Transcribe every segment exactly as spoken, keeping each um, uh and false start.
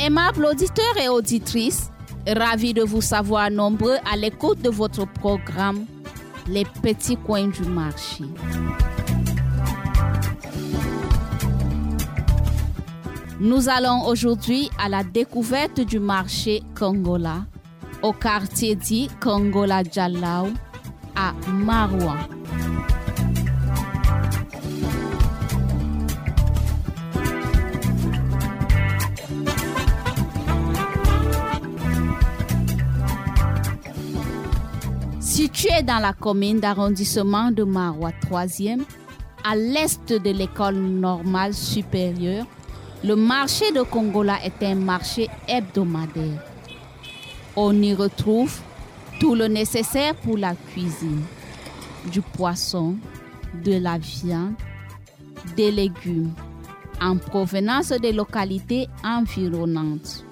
Aimables auditeurs et auditrices, ravis de vous savoir nombreux à l'écoute de votre programme Les petits coins du marché. Nous allons aujourd'hui à la découverte du marché Kongola, au quartier dit Kongola Djalaou, à Maroua. Situé dans la commune d'arrondissement de Maroua troisième, à l'est de l'école normale supérieure, le marché de Kongola est un marché hebdomadaire. On y retrouve tout le nécessaire pour la cuisine, du poisson, de la viande, des légumes, en provenance des localités environnantes.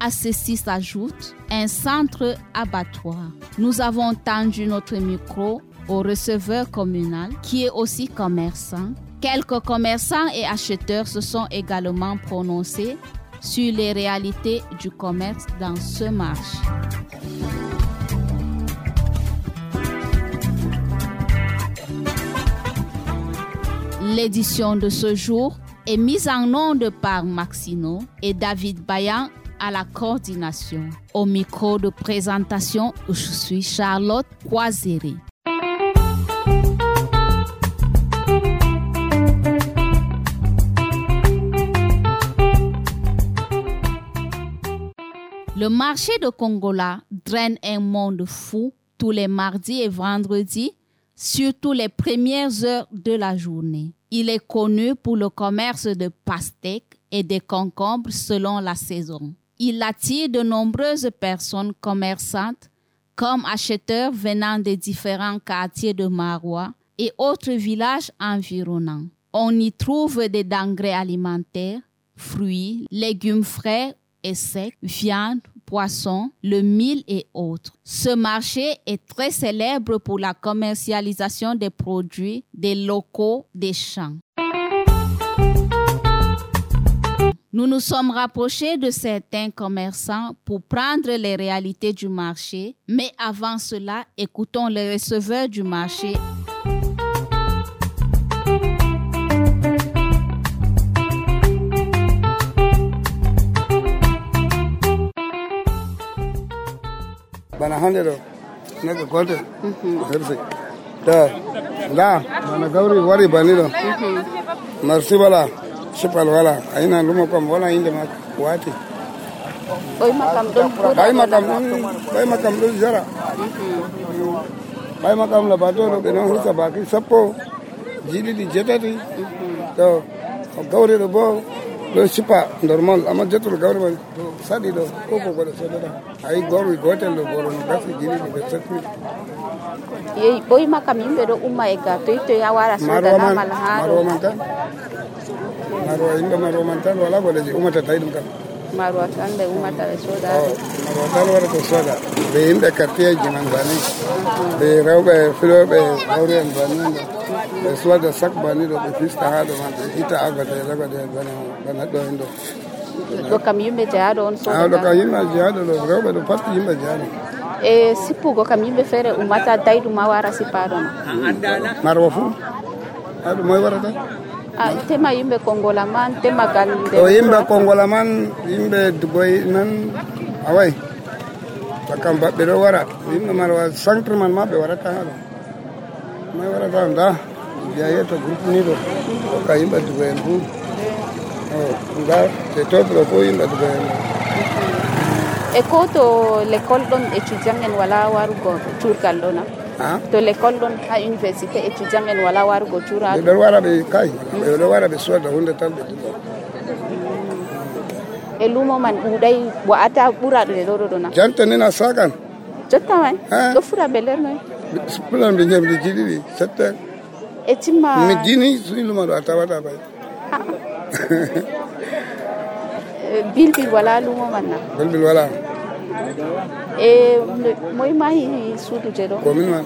À ceci s'ajoute un centre abattoir. Nous avons tendu notre micro au receveur communal qui est aussi commerçant. Quelques commerçants et acheteurs se sont également prononcés sur les réalités du commerce dans ce marché. L'édition de ce jour est mise en onde par Maxino et David Bayan à la coordination. Au micro de présentation, je suis Charlotte Croiséré. Le marché de Kongola draine un monde fou tous les mardis et vendredis, surtout les premières heures de la journée. Il est connu pour le commerce de pastèques et des concombres selon la saison. Il attire de nombreuses personnes commerçantes comme acheteurs venant des différents quartiers de Maroua et autres villages environnants. On y trouve des denrées alimentaires, fruits, légumes frais et secs, viande, poissons, le mil et autres. Ce marché est très célèbre pour la commercialisation des produits des locaux des champs. Nous nous sommes rapprochés de certains commerçants pour prendre les réalités du marché, mais avant cela, écoutons le receveur du marché. Bana hande do naga gonte herse da da bana gawri wari bani do marsi bala sipal wala aina lumo kam wala inde ma wati Boy makam don bay makam bay makam do jara bay makam la bato do beno husa baki sappo jili di jetati to gawri do bo do sipa normal ama jetul gawri man sadi do koko ko do soda ay gawri gotel do boro no gasi jili di besati ye boy makam yimbe do umma e ga to to ya wara soda na mala ha marwa man tan marwa inda marwa man tan wala gole ji umata taydum kam marwa tan de umata e soda marwa tan wara to soda be inde kartiye jiman bani be rewbe filobe gawri en bani be soda sak bani do be fista ha do man ita agata e laga de bani bana do indo do kam yimbe jaado on soda do kam yimbe jaado do rewbe do patti yimbe jaado e sipugo kam yimbe fere umata daydu ma wara sipado marwa fu adu moy warata ah tema yimbe Kongola man tema galde o yimbe Kongola man yimbe dugoy nan away takam babbe do wara yimbe marwa centre man mabbe warata hado moy warata nda ya yeto groupe ni do ka yimbe dugoy fu oh nda te to pro fo yimbe dugoy e ko to l'école don étudiant en wala warugo turkal dona to l'école don ha université étudiant en wala warugo tura be wara be kai be do wara be soda hunde tan be e lumo man budai bo ata bura de do dona janta ni na sakan jotta man do fura beler no plan be nyamde jidi sette e timma mi dini sulu ma do ata wata bay bilbil wala lumo manna bilbil wala e moy mahi sudu jedo commune man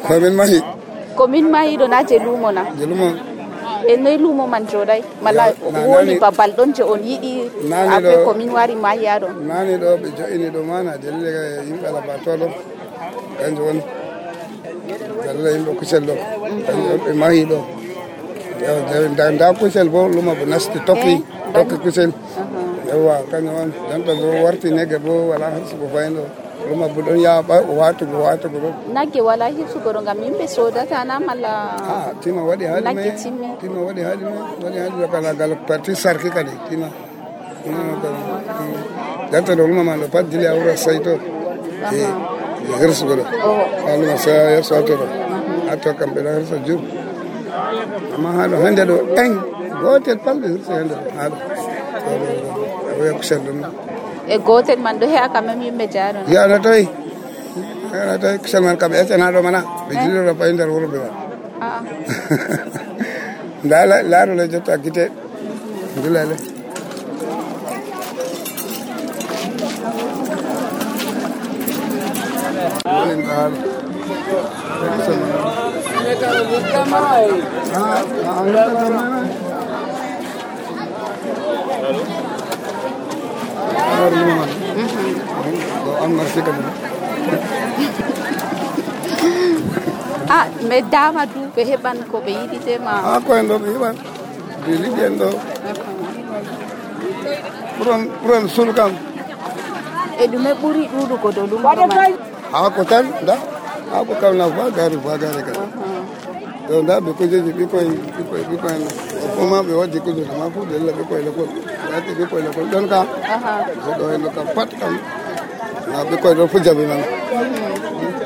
commune mahi commune mahi do na je lumo na je lumo e noy lumo man joɗay mala woni babal ɗon je on yiɗi après commune wari mahiya ɗon nani ɗo ɓe jo'ini ɗo mana dalila yimɓe alabato ɗo kanjum woni dalila yimɓe kusel ɗo kanjum ɓe mahi ɗo nda kusel bo luma bo nasti tokki tokki kusel yawwa kanjum on jonta bo warti nege bo wala hirsugo fayin ɗo luma bo ɗon yaɓa watugo watugo ɗo nagge wala hirsugo ɗo ngam yimɓe sodata na mala a tima waɗi haali me tima waɗi haali me waɗi haali ɗo kala gal parti sarki kadi tima jonta ɗo luma man ɗo pat dili a wuro sayto e hirsugo ɗo ha luma sa yersoto ɗo hatto kamɓe ɗo hirsa jur amma haɗo hande ɗo en gotel palɓe hirsa hande ɗo haɗo oya kusel ɗum e gotel man ɗo heya quand même yimɓe jaaɗon yiyano tawi yiyano tawi kusel man kamɓe ƴettana ɗo mana ɓe jilliɗo fayi nder wuuro ɓe man nda laarole jotta guite dilale wolin ɗo haala kusel ah mais dama du ɓe heɓan ko ɓe yiɗi tema a ko en ɗo ɓe heɓan ɓe liggi en ɗo ɓuron ɓuron sul kam e ɗume ɓuri ɗuɗugo dow lumɗo man haako tan nda haako kam na bagare bagare kadi ɗo nda ɓe kujeji ɓikkoy ɓikkoy ɓikkoy fof ma ɓe waddi kujeji ma fof ɗella ɓikkoy l'école ɓe waddi ɓikkoy l'école ɗon kam ɗo henno kam pat kam na ɓikkoy ɗo fujaɓe man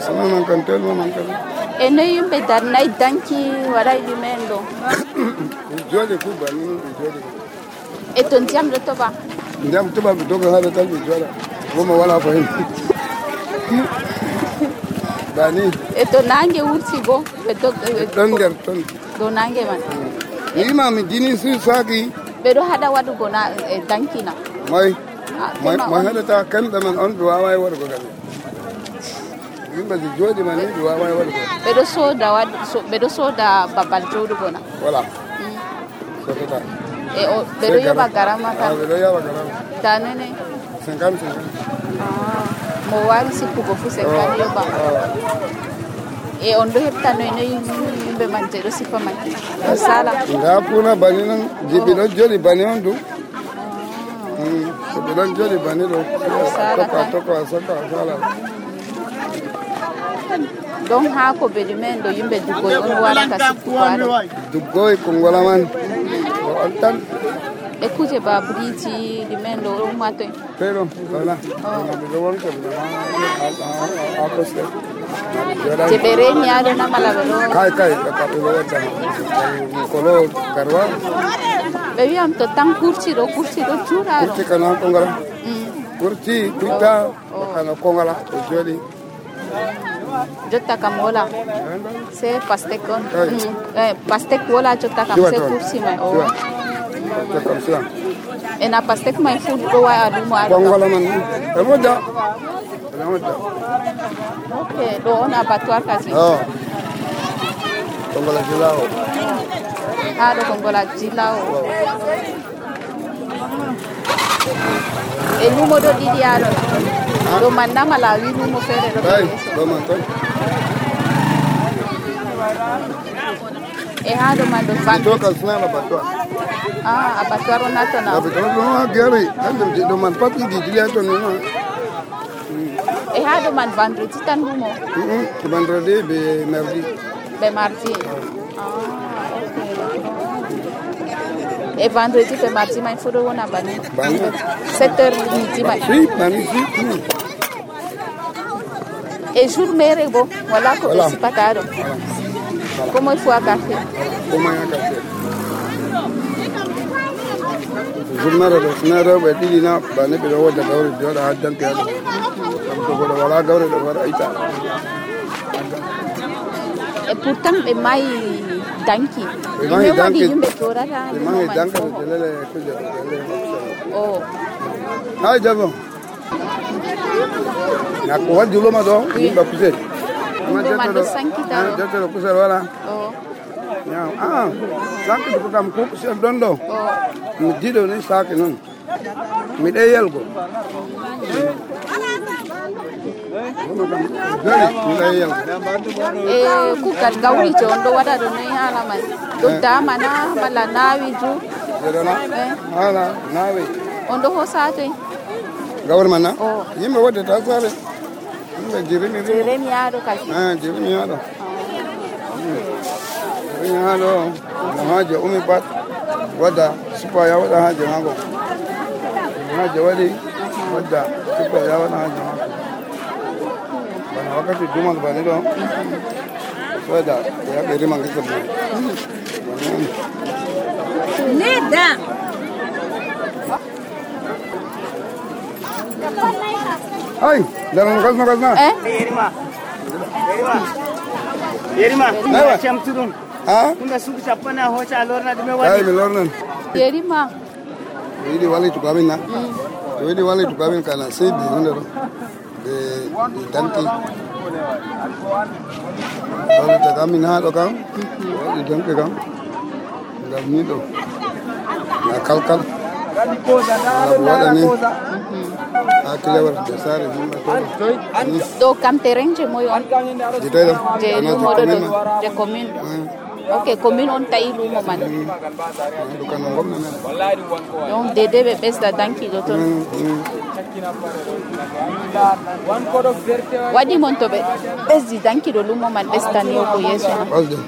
sama man kam telma man kam e noy yimɓe darnay danki waɗay ɗumen ɗo ɓe jooɗi fu banni ɓe jooɗi e to ndiyam ɗo toɓa ndiyam toɓa ɓe doga haɗa tan ɓe jooɗa woma wala ko hen bani e to nangue wurti bo ɓe ɗon nder ton dow nangue man wima mi dini su saki ɓeɗo haɗa waɗugo na e dankina moy mo haɗata kamɓe man on ɓe wawa e waɗugo kadi yimɓe je jooɗi man ni ɓe wawa e waɗugo ɓeɗo soda waɗ ɓeɗo soda babal joɗugo na voilà sodata e ɓeɗo yoɓa garama tan ɓeɗo yoɓa garama ta nene cinquante cinquante mo wari sikkugo fu cinquante yoɓa e on ɗo heɓta noy noy yimɓe man je ɗo sifa man ɗo sala nda puna bani noon jiɓi ɗo jooɗi bani on ɗum so ɓe ɗon jooɗi bani ɗo toka toka soka sala donc ha ko ɓe ɗumen ɗo yimɓe duggoy on warata sikkugo aɗo duggoy ko ngola man o on tan e kuje ba briji ɗumen ɗo ɗon matoy pero voilà ɓeɗo wonta ha poste je ɓe reeni aɗo namala ɓe ɗo kay kay ɓe ɗo wonta kolo karwa ɓe wiyam to tan kurci ɗo kurci ɗo juuɗa kurci kana kongala kurci kuita kana kongala ɓe jooɗi jotta kam wola se pastek on pastek wola jotta kam se kurci mai o ena pastek mai fu ɗo waya lumo aɗo kongola man e moƴƴa ene moƴƴa ok ɗo on abattoir kasi kongola jila o ha ɗo kongola jila o e lumo ɗo ɗiɗi aɗo ɗo man namala wi lumo feere ɗo ɗo man ton e ha ɗo man ɗo toka sunan abattoir ah abattoir on natona abattoir ɗo ha gari kanjum je ɗo man pat ɗiɗi jili ha ton nima e ha ɗo man vendredi tan lumo vendredi ɓe mardi ɓe mardi e vendredi ɓe mardi man fu ɗo wona bani sept heures midi man si bani si e jour mere bo wala ko ɓe sipata ɗo comme il faut a café comme a café jour mere ɗo sina rewɓe ɗiɗi na bani ɓeɗo wodda gawri joɗa ha danke haɗo kam to goɗo wala gawri ɗo waɗa ita e pourtant ɓe mayi danki ɓe waɗi yimɓe torata ɓe mahi danka ɗo jelele kuje o hay jabo nakko waddi luma ɗo yimɓe kusel ɗo man ɗo sankita ɗo jettoɗo kusel wala Nyam. Ah, sanki ko kam ko chef dondo. Mi dido ni saki non. Mi de yelgo. Eh, ku kat gawri to ondo wada do nei hala mai. Do dama na bala nawi ju. Dona. Hala nawi. Ondo ho sate. Gawri mana? Yimbe wode ta sare. Yimbe jirimi. Jirimi ado kashi. Ah, jirimi ado. Jirimi ado. Haje umi bat wada supa ya wada haje mango. Haje wadi wada supa ya wada haje mango. Bana wakati jumal bani do. Wada ya beri mangi sabu. Neda. Hai, dalam kasna kasna. Eh? Yerima. Yerima. Yerima. Ayo. Cham turun. Ah? Kunda suku chapana hocha alorna dume Hai, wadi. milornan. Yerima. Ini wali tu kami na. Ini wali tu kami kana sebi hundaro. De danti. Wali tu kami na do kam. Wali danti kam. Ngam ni do. Na kalkal. Na buada ni. Akile war desare ni ma to. Do kam tereng je moy on. Dita do. Je lu modo do je commune. Ok, commune on tayi lu mo man. Du kan ngom na. Donc dede be besta danki do ton. Wadi mon to be besti danki do lu mo man besta ni ko yeso. Osde.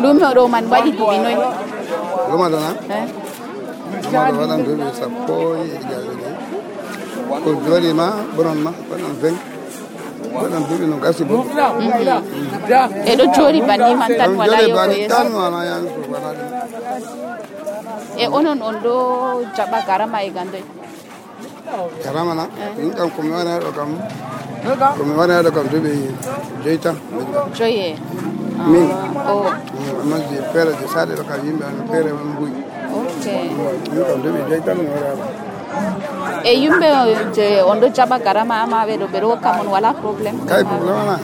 Lu mo do man wadi du binoy. Luma do na. Eh? Luma do wadan do be sapoi ga. Ko jori ma bonon ma bonon ven. Bonon do no gasi bo. E do jori bani man tan wala yo ko yeso. Tan wala yan so wala. E onon on do jaba garama e gande. Karama na. Ni kam ko mi wana do kam. Ko mi wana do kam do be jeita. Joye. Min. Oh, Ma di pere di sade do kam yimbe an pere on bui. okay. Ni kam do be jeita no wala. E yumbe je on do jaba garama ama be do be ro kam on wala problem. Kai problema na.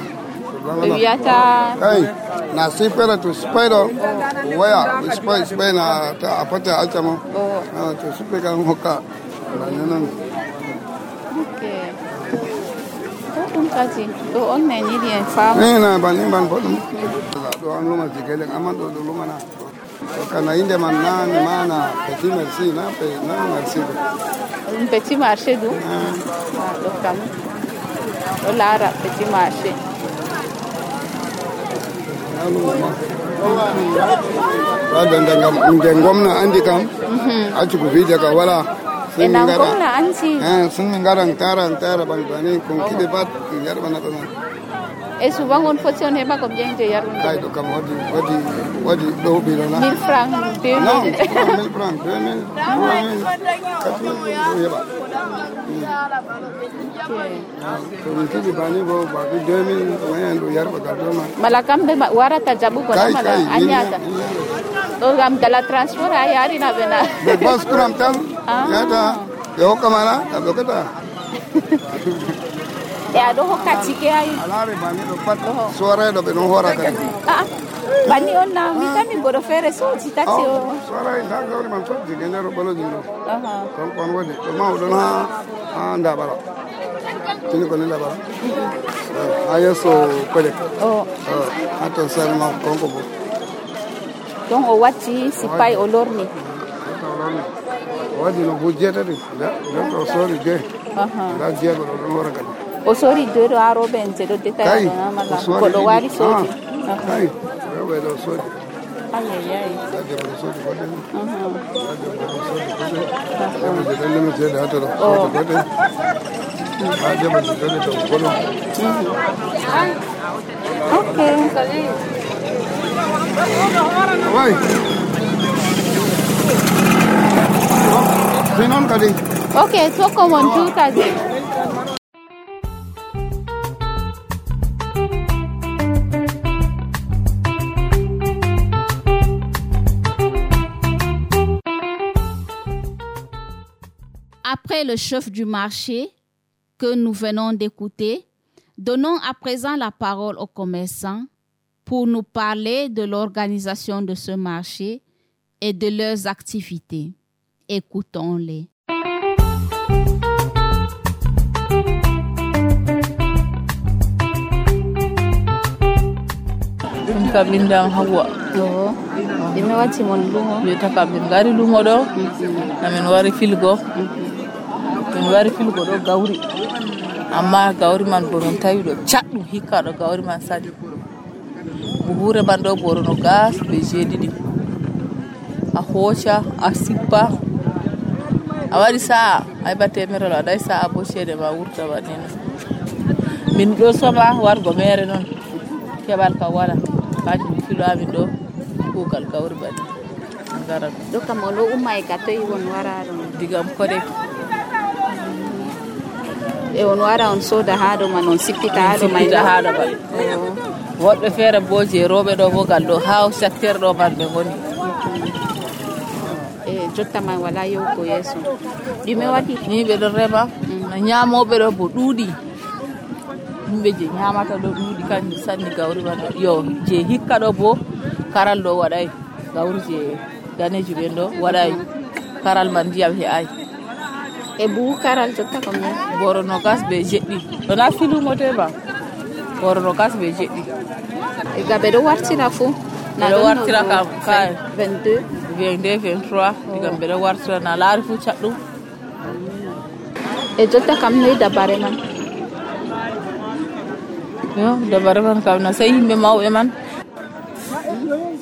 Be wiata Kai na si pere to spider waya spider spider na ta apata altamo. Oh, Na to super kan hoka. Na nan. okay. Tum kati do on ne ni bien fam. Ni na ban ni ban bodum. Do an luma jigele amando do luma na. Kana inde man nan mana petit merci na pe na merci. Un petit marché do. Ah, do kam. Do lara petit marché. Wada ndangam ndengom na andi kam. Achu ku video ka wala. E nan gomna anti. Eh sun min garang tarang tara bang bani kon kibe bat yar bana to. E souvent on faut on heba comme bien je yar. Kai do kam wadi wadi wadi do bi na. mille francs, deux Non, mille. mille francs, deux mille, trois mille, quatre mille, yaba. To min kibe bani bo ba deux mille wayan do yar ba ka do ma. Malakam be wara ta jabu ko Kai mala kai anyata. Do gam dala transfer ayari na bena. Be bas kuram tam. Yata yo kamala do kata. E ado hokati ke ay. Alare bani do pat suara do be no hora kan. Ah. Bani on na mi kami bodo fere so ci taxi o. Suara ida gawri man so jigene ro bolo jino. Aha. Kon kon wodi to ma do na anda bala. Tini ko nila bala. Ayo so kole. Oh. Ato salma kon ko bo. Donc o wati si pay o lorni. Wadi no bujeta de. Da do sorry je. Aha. Da je ko do hora kan. O sori do do aro ben se do detail na mala. Ko do wari so. Kai. Yo do sorry. Ay ay ay. Da je ko sorry ko de. Aha. Da je ko sorry ko de. Oh. Okay. Vai. Sinon kadi. Okay, so come on two thousand. Après le chef du marché que nous venons d'écouter, donnons à présent la parole aux commerçants pour nous parler de l'organisation de ce marché et de leurs activités. Écoutons-les. Kabinda hawa Oh, dime wati mon lumo. yeta kabin gari lumo do amen wari filgo min wari filgo do gawri amma gawri man bonon tawi do caddu hikka do gawri man sadi buhure man do borono gas be jedidi a hocha a sippa a wari sa ay batte merolo dai sa abo cede ma wurta wadina min do soba wargo mere non kebal ka wala kaji filo amin do kugal gawri badi ngara Do kam on do umma e gatto e won wara do. digam kode E on wara on soda ha do man on sippita ha do mai da hada ba wodbe fere boje robe do bogal do haw secteur do man be ngoni e jotta man wala yo ko yeso. Dime wati ni be do rema na nyaamobe do bo dudi yimbe je nyaamata do dudi kan sanni gawri man yo je hikka do bo karal do wadai gawri je ganeji ben do wadai karal man diyam he ay e bu karal jotta ko mi. boro no gas be jeddi do na filu mote ba boro no gas be jeddi E gabe do wartira fu. Na do wartira kam kay vingt-deux. vingt-deux vingt-trois digam be do wartira na laari fu caddum E jotta kam noy dabare man. yo dabare man kam na sey yimbe mawbe man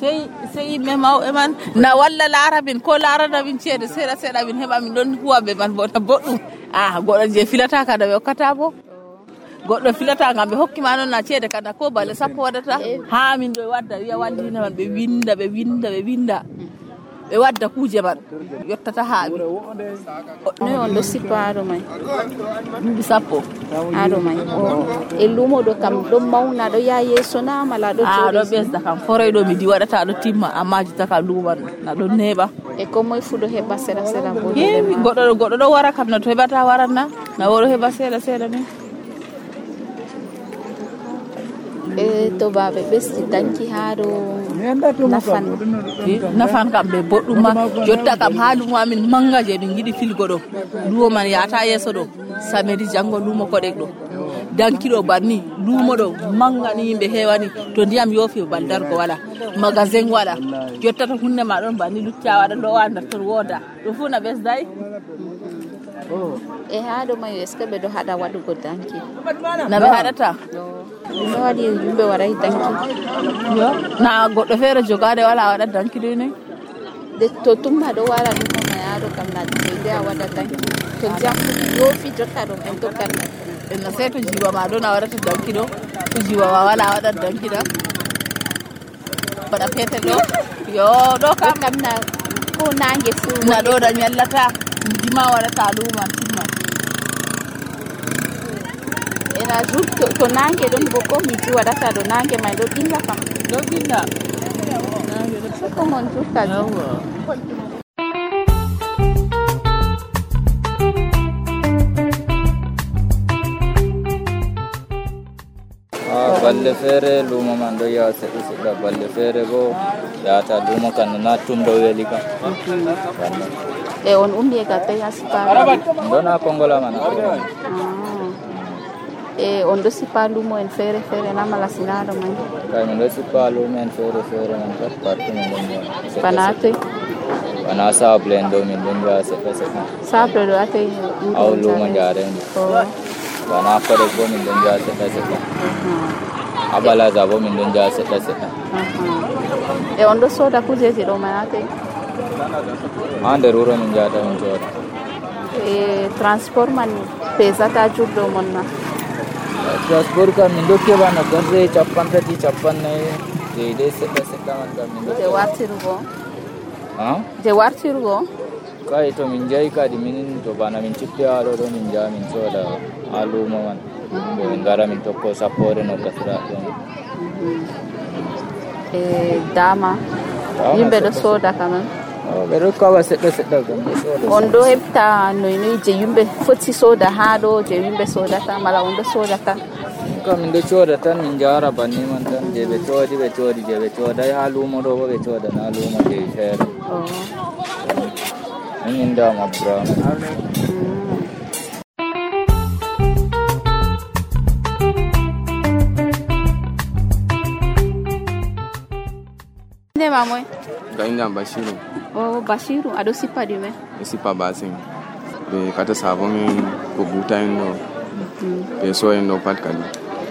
sey sey yimbe mawbe man na walla larabin ko larana bin cede sera sera bin heba min don huwabe man bo boddum ah goddo je filata kada be hokkata bo goddo filata ngam be hokki ma non na cede kada ko balle sappo wadata ha min do wadda wiya wallina man be winda be winda be winda be wadda kuje man yottata ha Noy on do sippa ha do mai. bi sappo Ha do mai. E lumo do kam do mauna do ya yeso na mala do ah do jodi. besda kam foray do mi di wadata do timma amma jita ka luman na do neba E ko moy fu do heba sera sera bo. yewi goddo goddo do wara kam na to hebata waranna na woro heba seeda seeda ni E to babe besti danki ha do nafan. nafan kam be boddum ma jotta kam haalumo amin manga je dum gidi filgo do lumo man yaata yeso do samedi jango lumo ko degdo dankido banni lumo do manga ni yimbe hewani to ndiyam yofi baldar ko wala magasin wala jotta to hunde ma don banni lucca wada do wanda to woda do fu na besdai E ha do mai eske be do hada wadugo danki. na be hadata No wadi yimbe warai danki. yo na goddo fere jogade wala wada danki do ne De to tumba do wara do ma ya do kam na de a wada danki. To jam yo fi jotta do en to kan. en sai to jiwa ma do na wada danki do to jiwa ma wala wada danki da bada fete do yo do kam Kam na ko nange fu. na do da nyallata jima wada taluma timma Era jutto to nange don bo ko mi ji wada ta do nange mai do dinga kam. do binda Ko mon jutta jo. yawa Ah, balle fere lumo man do ya se se balle fere go ya ta lumo kan na tum do weli kam E on umbi e gatte ya sipa. do na kongola man E on do sipa lumo en fere fere na mala sinado mai. kay min do sipa lumo en fere fere man ta parti min do Panate. ana sa blend do min do ya se se Sabre do ate. aw lumo jare Oh. bana ko de go min do ya se se abala za bo min do ya se se E on do soda kujeji do manate. ande ruro min jata min joda E transport man pesata juddo monna. transport ka min do ke bana garre chappan peti chappan ne de de se se man ka min do Je wartirugo. ha Je wartirugo. kai to min jai ka di min to bana min chippe alo do min ja min soda alu mo man bo min gara min tokko sapore no kasra do E dama. Dama Yimbe do soda. soda kaman. ɓe ɗo kawa seɗɗa seɗɗa gam on ɗo heɓta noy noy je yimɓe foti soda ha ɗo je yimɓe sodata mala on ɗo soda tan kam min ɗo cooda tan min jara banni man tan je ɓe coodi ɓe coodi je ɓe coodai ha luumo ɗo bo ɓe coodan ha luumo je feere min indama Abdourahmane. Ndema moy ga indam Bashiru. Oh Bashiru aɗo sippa ɗume? Ɓe sippa basin ɓe kata sabo min ko buta en ɗo ɓe so en ɗo pat kadi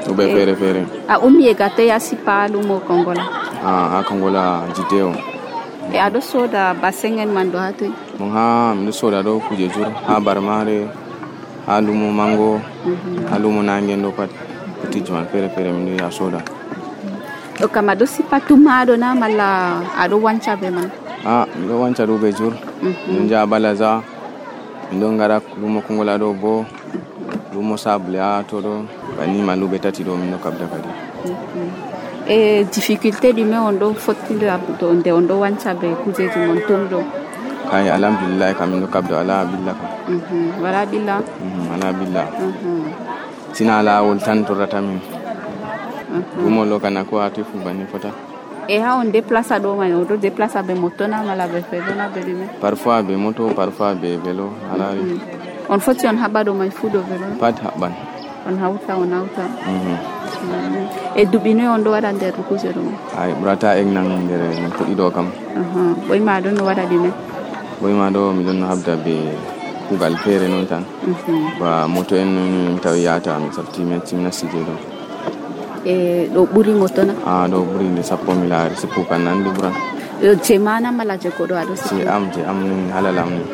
ɗo ɓe feere feere. A ummi e gatte ya sippa lumo Kongola? Ah ha Kongola jidde o. E aɗo soda basin en man ɗo ha toy? Mon ha miɗo soda ɗo kuje jur ha Barmare ha lumo Mango ha lumo Nangen ɗo pat kutiji man feere feere min ɗo ya soda. O kam aɗo sippa tummaɗo na malla aɗo wanca be man? Ah miɗo wanca ɗo ɓe jur min jaha Balaza min ɗon ngara lumo Kongola ɗo bo lumo Sable ha to ɗo banni man luɓe tati ɗo min ɗo kabda kadi. E difficulté ɗume on ɗo fottindira to nde on ɗo wanca be kujeji mon ton ɗo? Kai alhamdulillah kam min ɗo kabda wala billa kam. Wala billa? Wala billa. Sina lawol tan torrata min. Lumo lo kana ko ati fu banni fota. E ha on déplace ɗo man on ɗo déplace be moto na mala be vélo na be ɗume? Parfois be moto parfois be vélo halari. On foti on haɓa ɗo man fu ɗo vélo? Pat haɓan. On hawta on hawta. E duɓi noy on ɗo waɗa nder kuje ɗo? Ay ɓurata egnan nder min fuɗɗi ɗo kam. Ɓoyma ɗon no waɗa ɗume? Ɓoyma ɗo miɗon habda be kugal feere noon tan ba moto en non tawi yata mi safti mi acci mi nasti je ɗo. E ɗo ɓuri moto na? Ah ɗo ɓuri nde sappo mi laari sappo kan nandi ɓuran. Je mana mala je ko ɗo aɗo si am je am ni halala am ni.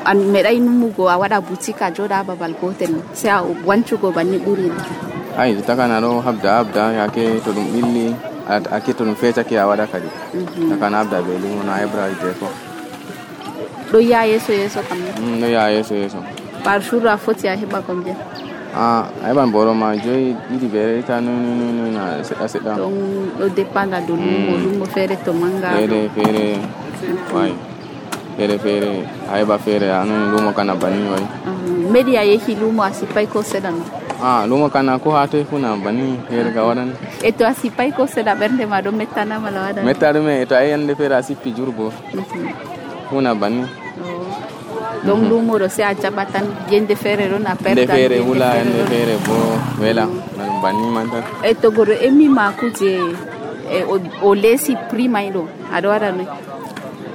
An meɗai numugo a waɗa boutique a joɗa ha babal gotel sai a wancugo banni ɓuri na? Ay takana ɗo habda habda yake to ɗum ɓilli ake to ɗum fecake a waɗa kadi takana habda be lumo na hebra je ko ɗo ya yeso yeso kam ɗo ya yeso yeso. Par jour a foti a heɓa combien? Ah a heɓan boro ma joyi ɗiɗi be reta noy na seɗɗa seɗɗa. Donc ɗo dépenda do lumo lumo feere to manga feere feere way feere feere a heɓa feere anon lumo kana banni way. Meɗi a yehi lumo a sippay ko seɗa no? Ah lumo kana ko ha toy funa banni feere ga waɗan. E to a sippay ko seɗa ɓernde ma ɗo mettana mala waɗan? Metta ɗume to a yiyande feere a sippi jurbo funa banni. Donc lumo ɗo se a jaɓa tan yende feere ɗon a perda nde feere wula yende feere bo wela ɗum banni man tan. E to goɗɗo emmima kuje e o leesi prix may ɗo aɗa waɗa noy?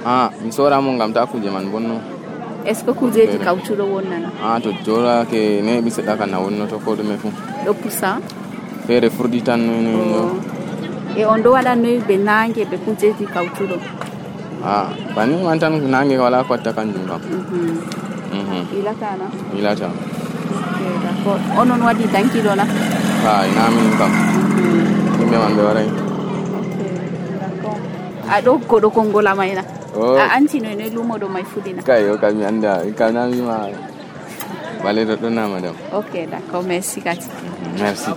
Ah mi soramo ngam ta kuje man bonno. Est ce que kujeji kawtuɗo wonnana? Ah to jorake neɓi seɗɗa kana wonnoto ko ɗume fu ɗo pusa feere furɗi tan noy. E on ɗo waɗa noy ɓe nangue ɓe kujeji kawtuɗo? Ah banni man tan nangue wala ko watta kanjum kam. Ilata na? Ilata. Ok d'accord. Onon waɗi dankiɗo na? Ha ina min kam yimɓe man ɓe waray. Aɗo goɗo Kongola may na? A anti noy noy lumo ɗo may fuɗina? Kay o kam mi anda kam na wima baleɗo ɗo na madame. Ok d'accord merci kati. Merci.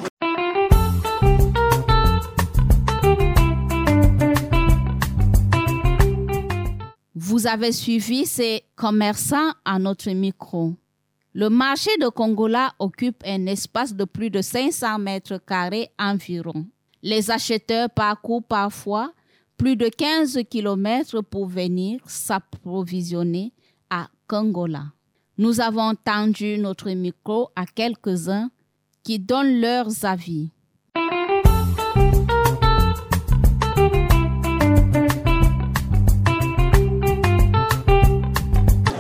Vous avez suivi ces commerçants à notre micro. Le marché de Kongola occupe un espace de plus de cinq cents mètres carrés environ. Les acheteurs parcourent parfois plus de quinze kilomètres pour venir s'approvisionner à Kongola. Nous avons tendu notre micro à quelques-uns qui donnent leurs avis.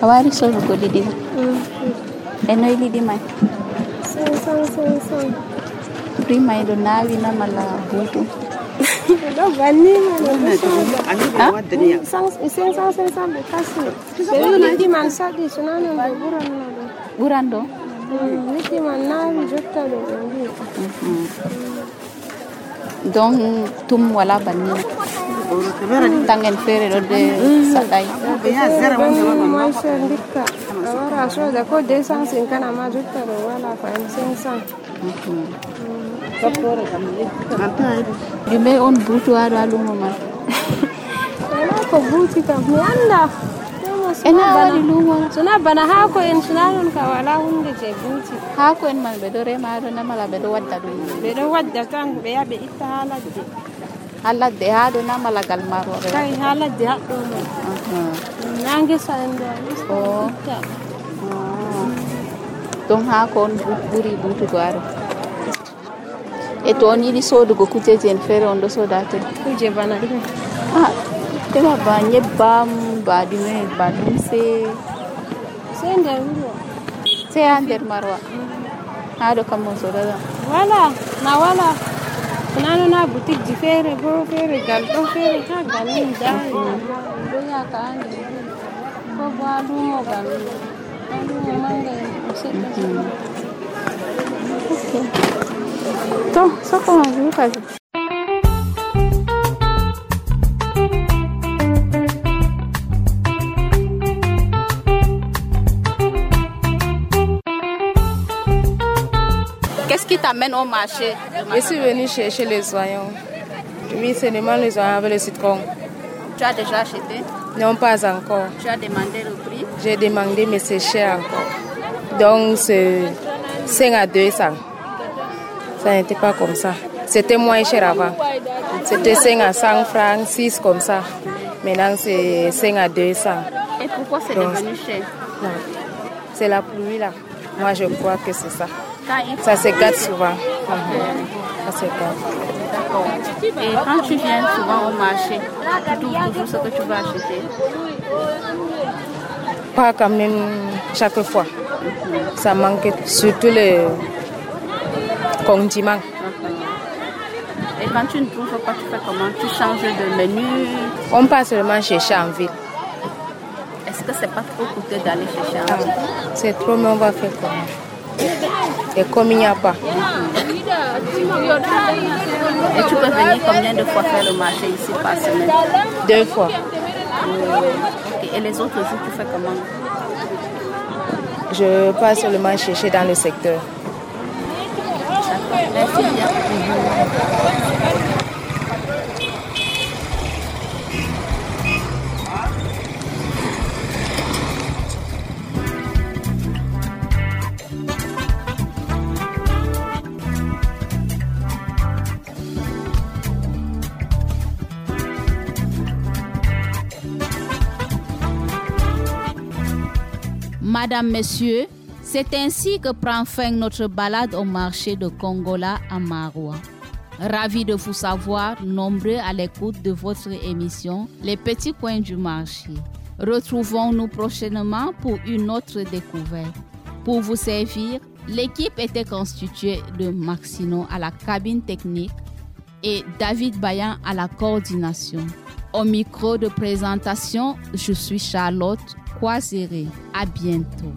Awari solo go didi. Eno ili di mai. Sang sang sang sang. Prima ido nawi na mala butu. Do bani na do. Sang sang sang sang sang bekasi. Beli di man sa di sunano do buran na do. Buran do? Niti man nawi jotta do ngi. Donc tum wala bani. Tangen fere do de sadai. Ya zera wonde ma sha ndika. Awara so da ko de sang sin kana ma jotta do wala fa sang sang. Yume on butu aro alumo man. Wala ko haako buuti kam mi anda ena waɗi lumo sona bana haako en sona non ka wala hunde je buuti haako en man ɓe ɗo rema ɗo namala ɓe ɗo wadda ɗum ɓe ɗo wadda tan ɓe yaha ɓe itta ha ladde ha ladde ha ɗo namala gal maro ɓe kay ha ladde haɗɗo mo na ngesa en ɗo o ɗum haako on ɓuri buutugo aro e to on yiɗi sodugo kujeji en feere on ɗo soda ten kuje bana ɗume ah tema ba nyebbam ba ɗume ba lumse sey nder wuro sey ha nder marwa ha ɗo kam on sodata wala na wala nano na boutique ji feere bo feere gal ɗo feere ha galin dari ɗo yaka ha nder ko bo ha lumo gal ha lumo manga en seɗɗa to soko ma jukaji Qu'est-ce qui t'amène au marché? Je suis venue chercher les oignons. Oui, c'est seulement les oignons avec le citron. Tu as déjà acheté? Non, pas encore. Tu as demandé le prix? J'ai demandé, mais c'est cher encore. Donc, c'est cinq à deux cents. Ça n'était pas comme ça. C'était moins cher avant. C'était cinq à cent francs, six comme ça. Maintenant, c'est cinq à deux cents. Et pourquoi c'est Donc, devenu cher? Non. C'est la pluie là. Moi, je crois que c'est ça. Ça se gâte souvent. Ça se gâte. D'accord. Et quand tu viens souvent au marché, tu trouves toujours ce que tu vas acheter? Pas quand même chaque fois. Ça manque surtout les condiments. Et quand tu ne trouves pas, tu fais comment? Tu changes de menu? On passe seulement chercher en ville. Est-ce que c'est pas trop coûteux d'aller chercher en ville? Ah, c'est trop, mais on va faire comment? Et comme il n'y a pas. Et tu peux venir combien de fois faire le marché ici par semaine? Deux fois. Okay. Et les autres jours, tu fais comment? Je passe seulement chercher dans le secteur. Merci bien. Madame, Messieurs, c'est ainsi que prend fin notre balade au marché de Kongola à Maroua. Ravi de vous savoir nombreux à l'écoute de votre émission Les Petits Coins du Marché. Retrouvons-nous prochainement pour une autre découverte. Pour vous servir, l'équipe était constituée de Maxino à la cabine technique et David Bayan à la coordination. Au micro de présentation, je suis Charlotte Croiséré. À bientôt.